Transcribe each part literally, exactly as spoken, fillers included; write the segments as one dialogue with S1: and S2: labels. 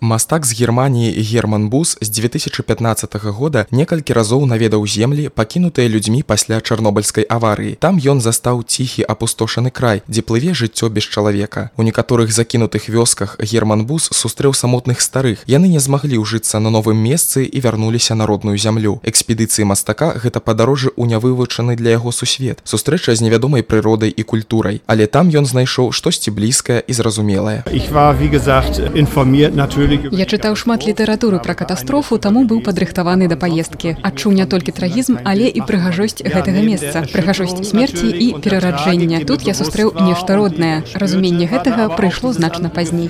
S1: Мастак з Германіі Герман Бус з две тысячи пятнаццатага года некалькі разоў наведаў землі, пакінутыя людзьмі пасля чарнобыльскай аварыі. Там ён застаў ціхі апустошаны край, дзе плыве жыццё без чалавека. У некаторых закінутых вёсках Герман Бус сустрэў самотных старых. Яны не змаглі ўжыцца на новым месцы і вярнуліся на родную зямлю. Экспедыцыі мастака гэта падарожжа ў нявывучаны для яго сусвет, сустрэча з невядомай прыродай і культурай. Але там ён знайшоў штосьці блізкае і зразумелае.
S2: Ich war, wie gesagt, informiert natürlich.
S3: Я чытаў шмат літаратуры пра катастрофу, таму быў падрыхтаваны да паездкі. Адчуў не толькі трагізм, але і прыгажосць гэтага месца, прыгажосць смерці і перараджэння. Тут я сустрэў нешта роднае. Разуменне гэтага прыйшло значна пазней.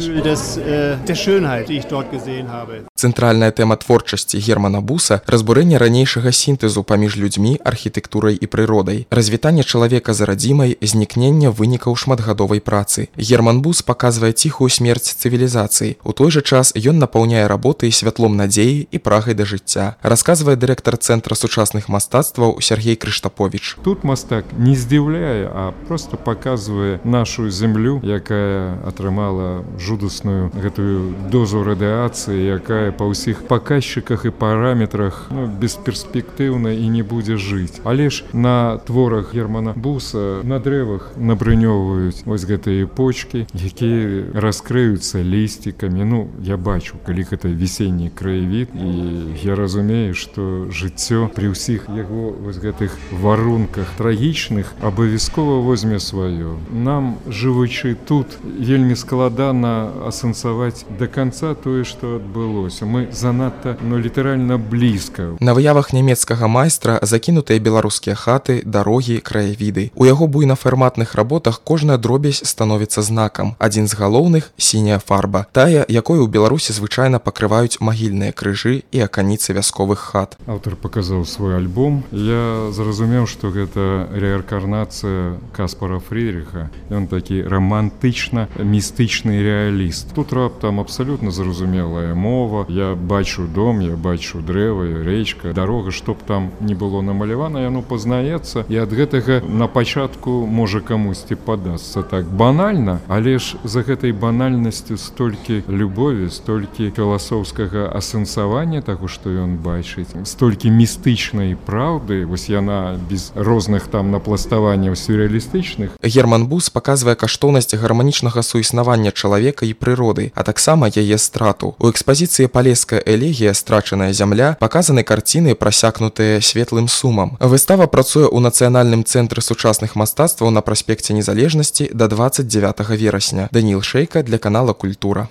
S1: Цэнтральная тэма творчасці Германа Буса – разбурэнне ранейшага сінтэзу паміж людзьмі, архітэктурай і прыродай, развітанне чалавека з радзімай, знікнення вынікаў шматгадовай працы. Герман Бус паказвае ціхую смерць цывілізацыі. У той жа час ён напаўняе работы святлом надзеі і прагай да жыцця, расказвае дырэктар Цэнтра сучасных мастацтваў Сергей Крыштапович.
S4: Тут мастак не здзіўляе, а просто паказвае нашу зямлю, якая атрымала жудасную гэтую дозу радыацыі, якая па ўсіх паказчыках і параметрах ну, бесперспектыўна і не будзе жыць. Але ж на творах Германа Буса на дрэвах набрынёвваюць вось гэтыя почкі, якія раскрыюцца лісцікамі. Ну, я бачу, калі гэта весенні краявід, і я разумею, што жыццё пры ўсіх яго вось гэтых варунках трагічных абавязкова возьме сваё. Нам, жывучы тут, вельмі складана асэнсаваць да канца тое, што адбылося. Мы занадта, ну, літаральна блізка.
S1: На выявах нямецкага майстра закінутыя беларускія хаты, дарогі, краявіды. У яго буйнафарматных работах кожная дробязь становіцца знакам. Адзін з галоўных – сіняя фарба. Тая, якой у Беларусі звычайна пакрываюць магільныя крыжы і аканіцы вясковых хат.
S4: Аўтар паказаў свой альбом. Я зразумеў, што гэта рэаркарнацыя Каспара Фрідриха. Ён такі романтычна-містычны рэаліст. Тут раптам абсалютна зразумелая мова. Я бачу дом, я бачу дрэва, рэчка, дарога, што б там не было намалявана, яно пазнаецца. І ад гэтага на пачатку можа камусьці падасца так банальна, але ж за гэтай банальнасцю столькі любові, столькі філасофскага асэнсавання таго, што ён бачыць, столькі містычнай праўды, вось яна без розных там напластаванняў сюррэалістычных.
S1: Герман Бус паказвае каштоўнасць гарманічнага суіснавання чалавека і прыроды, а таксама яе страту. У экспазіцыі «Палеская элегія. Страчаная зямля» паказаны карціны, прасякнутыя светлым сумам. Выстава працуе ў Нацыянальным цэнтры сучасных мастацтваў на праспекце Незалежнасці да дваццаць дзявятага верасня. Даніл Шэйка для канала «Культура».